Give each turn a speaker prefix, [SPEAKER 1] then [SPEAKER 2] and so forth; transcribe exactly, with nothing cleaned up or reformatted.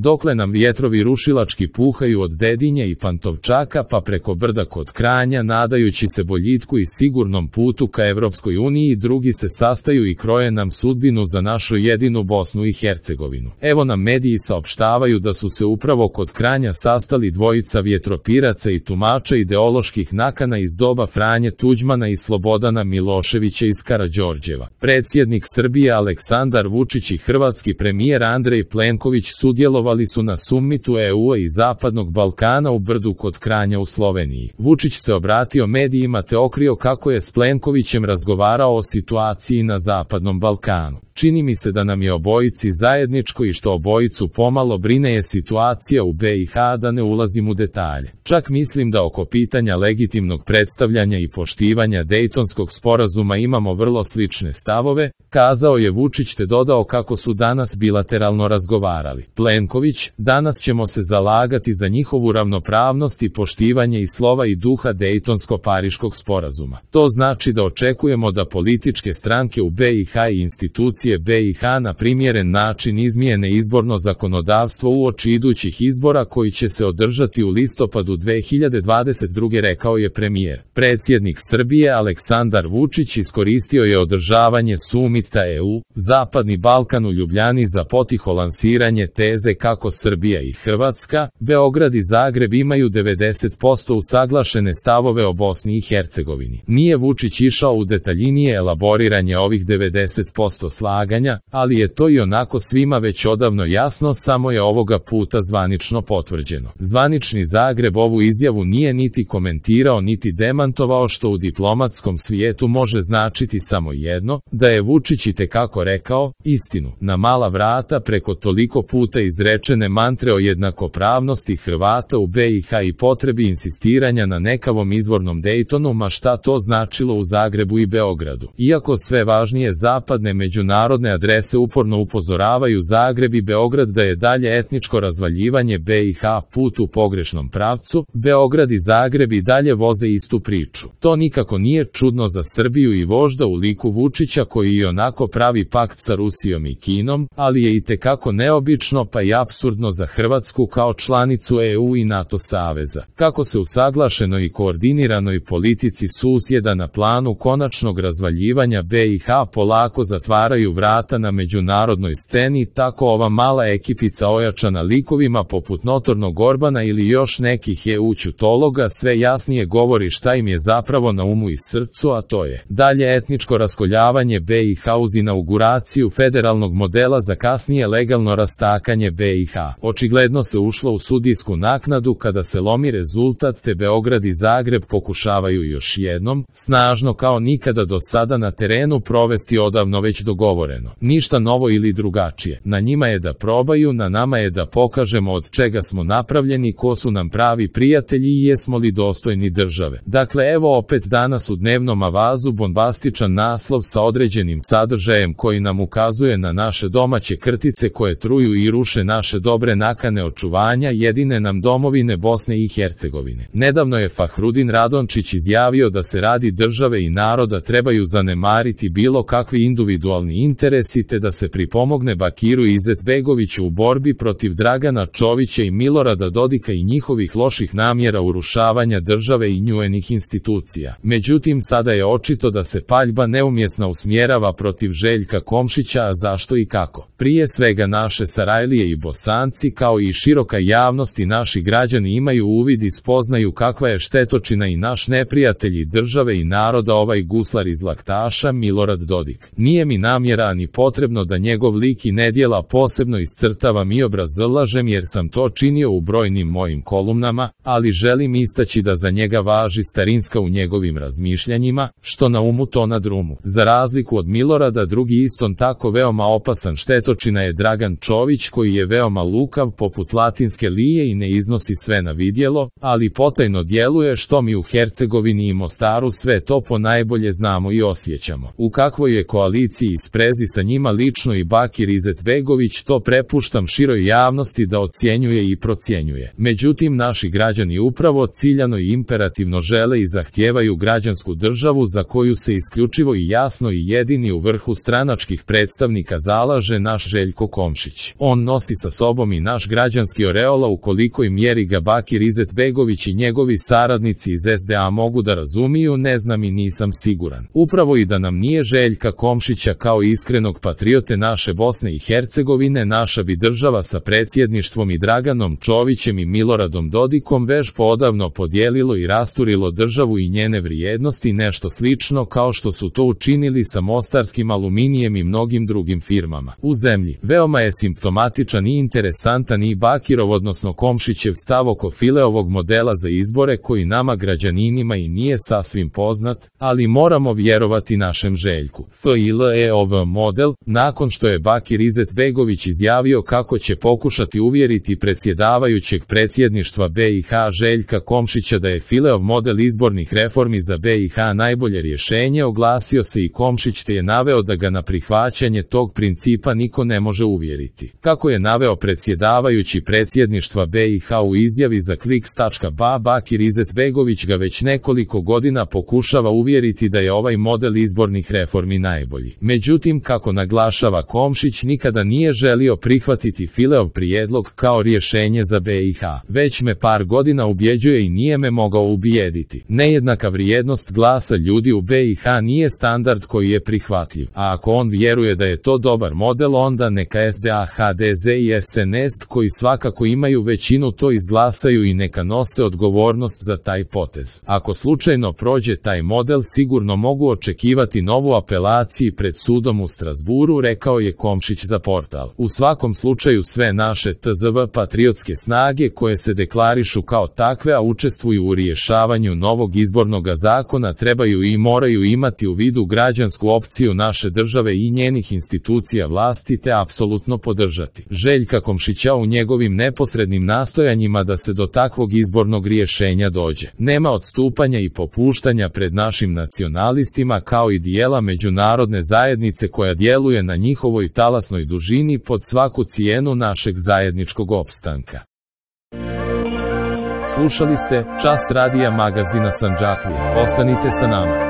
[SPEAKER 1] dokle nam vjetrovi rušilački puhaju od Dedinja i Pantovčaka pa preko brda kod Kranja, nadajući se boljitku i sigurnom putu ka Evropskoj uniji, drugi se sastaju i kroje nam sudbinu za našu jedinu Bosnu i Hercegovinu. Evo nam mediji saopštavaju da su se upravo kod Kranja sastali dvojica vjetropiraca i tumača ideoloških nakana iz doba Franje Tuđmana i Slobodana Miloševića iz Karađorđeva. Predsjednik Srbije Aleksandar Vučić i hrvatski premijer Andrej Plenković sudjelovali su na summitu E U-a i Zapadnog Balkana u Brdu kod Kranja u Sloveniji. Vučić se obratio medijima te otkrio kako je s Plenkovićem razgovarao o situaciji na Zapadnom Balkanu. Čini mi se da nam je obojici zajedničko i što obojicu pomalo brine je situacija u B i H, da ne ulazim u detalje. Čak mislim da oko pitanja legitimnog predstavljanja i poštivanja Dejtonskog sporazuma imamo vrlo slične stavove, kazao je Vučić te dodao kako su danas bilateralno razgovarali. Plenković: danas ćemo se zalagati za njihovu ravnopravnost i poštivanje i slova i duha Dejtonsko-Pariškog sporazuma. To znači da očekujemo da političke stranke u B i H i institucije B i H na primjeren način izmijene izborno zakonodavstvo uoči idućih izbora koji će se održati u listopadu dve hiljade dvadeset druge, rekao je premijer. Predsjednik Srbije Aleksandar Vučić iskoristio je održavanje sumita E U, Zapadni Balkan u Ljubljani za potiho lansiranje teze kako Srbija i Hrvatska, Beograd i Zagreb imaju devedeset posto usaglašene stavove o Bosni i Hercegovini. Nije Vučić išao u detaljnije elaboriranje ovih devedeset posto slaganja, ali je to i onako svima već odavno jasno, samo je ovoga puta zvanično potvrđeno. Zvanični Zagreb ovu izjavu nije niti komentirao niti demantovao, što u diplomatskom svijetu može značiti samo jedno, da je Vučić itekako rekao istinu na mala vrata preko toliko puta izrečene mantre o jednakopravnosti Hrvata u B i H i potrebi insistiranja na nekavom izvornom Dejtonu, ma šta to značilo u Zagrebu i Beogradu. Iako sve važnije zapadne međunarodne adrese uporno upozoravaju Zagreb i Beograd da je dalje etničko razvaljivanje B i H put u pogrešnom pravcu, Beograd i Zagreb i dalje voze istu priču. To nikako nije čudno za Srbiju i vožda u liku Vučića, koji i onako pravi pakt sa Rusijom i Kinom, ali je itekako neobično pa i apsurdno za Hrvatsku kao članicu E U i NATO saveza. Kako se usaglašenoj i koordiniranoj politici susjeda na planu konačnog razvaljivanja B i H polako zatvaraju vrata na međunarodnoj sceni, tako ova mala ekipica ojačana likovima poput notornog Orbana ili još nekih E U ćutologa sve jasnije govori šta im je zapravo na umu i srcu, a to je dalje etničko raskoljavanje B i H uz inauguraciju federalnog modela za kasnije legalno rastakanje B i H. Očigledno se ušlo u sudijsku naknadu kada se lomi rezultat te Beograd i Zagreb pokušavaju još jednom, snažno kao nikada do sada na terenu provesti odavno već dogovoreno. Ništa novo ili drugačije. Na njima je da probaju, na nama je da pokažemo od čega smo napravljeni, ko su nam pravi prijatelji i jesmo li dostojni države. Dakle, evo opet danas u dnevnom avazu bombastičan naslov sa određenim sadržajem koji nam ukazuje na naše domaće krtice koje truju i ruše naše dobre nakane očuvanja jedine nam domovine Bosne i Hercegovine. Nedavno je Fahrudin Radončić izjavio da se radi države i naroda trebaju zanemariti bilo kakvi individualni interesi te da se pripomogne Bakiru Izetbegoviću u borbi protiv Dragana Čovića i Milorada Dodika i njihovih loših namjera urušavanja države i njuenih institucija. Međutim, sada je očito da se paljba neumjesno usmjerava protiv Željka Komšića, a zašto i kako? Prije svega naše Sarajlije i Bosanci kao i široka javnost i naši građani imaju uvid i spoznaju kakva je štetočina i naš neprijatelj države i naroda ovaj guslar iz laktaša Milorad Dodik. Nije mi namjera ni potrebno da njegov lik i nedjela posebno iscrtavam i obrazlažem jer sam to činio u brojnim mojim kolumnama, ali želim istaći da za njega važi starinska u njegovim razmišljanjima, što na umu to na drumu. Za razliku od Milorada, drugi istom tako veoma opasan štetočina je Dragan Čović, koji je veoma lukav poput latinske lije i ne iznosi sve na vidjelo, ali potajno djeluje, što mi u Hercegovini i Mostaru sve to ponajbolje znamo i osjećamo. U kakvoj je koaliciji spremno sprezi sa njima lično i Bakir Izetbegović, to prepuštam široj javnosti da ocjenjuje i procjenjuje. Međutim, naši građani upravo ciljano i imperativno žele i zahtijevaju građansku državu za koju se isključivo i jasno i jedini u vrhu stranačkih predstavnika zalaže naš Željko Komšić. On nosi sa sobom i naš građanski oreola u kolikoj mjeri ga Bakir Izetbegović i njegovi saradnici iz es de a mogu da razumiju, ne znam i nisam siguran. Upravo i da nam nije Željka Komšića kao iskrenog patriote naše Bosne i Hercegovine, naša bi država sa predsjedništvom i Draganom Čovićem i Miloradom Dodikom već poodavno podijelilo i rasturilo državu i njene vrijednosti, nešto slično kao što su to učinili sa mostarskim aluminijem i mnogim drugim firmama u zemlji. Veoma je simptomatičan i interesantan i Bakirov, odnosno Komšićev stav oko Fileovog modela za izbore koji nama građaninima i nije sasvim poznat, ali moramo vjerovati našem Željku. Fileov model, nakon što je Bakir Izetbegović izjavio kako će pokušati uvjeriti predsjedavajućeg predsjedništva be i ha Željka Komšića da je Fileov model izbornih reformi za be i ha najbolje rješenje, oglasio se i Komšić te je naveo da ga na prihvaćanje tog principa niko ne može uvjeriti. Kako je naveo predsjedavajući predsjedništva be i ha u izjavi za kliks tačka ba, Bakir Izetbegović ga već nekoliko godina pokušava uvjeriti da je ovaj model izbornih reformi najbolji. Međutim, kako naglašava Komšić, nikada nije želio prihvatiti Fileov prijedlog kao rješenje za be i ha. Već me par godina ubjeđuje i nije me mogao ubijediti. Nejednaka vrijednost glasa ljudi u be i ha nije standard koji je prihvatljiv. A ako on vjeruje da je to dobar model, onda neka es de a, ha de ze i es en es koji svakako imaju većinu to izglasaju i neka nose odgovornost za taj potez. Ako slučajno prođe taj model, sigurno mogu očekivati novu apelaciju pred sudom u Strasburu, rekao je Komšić za portal. U svakom slučaju sve naše tzv patriotske snage koje se deklarišu kao takve, a učestvuju u rješavanju novog izbornog zakona, trebaju i moraju imati u vidu građansku opciju naše države i njenih institucija vlasti te apsolutno podržati Željka Komšića u njegovim neposrednim nastojanjima da se do takvog izbornog rješenja dođe. Nema odstupanja i popuštanja pred našim nacionalistima kao i dijela međunarodne zajednice koja djeluje na njihovoj talasnoj dužini pod svaku cijenu našeg zajedničkog opstanka. Slušali ste Čas radija magazina Sandžaklija. Ostanite sa nama.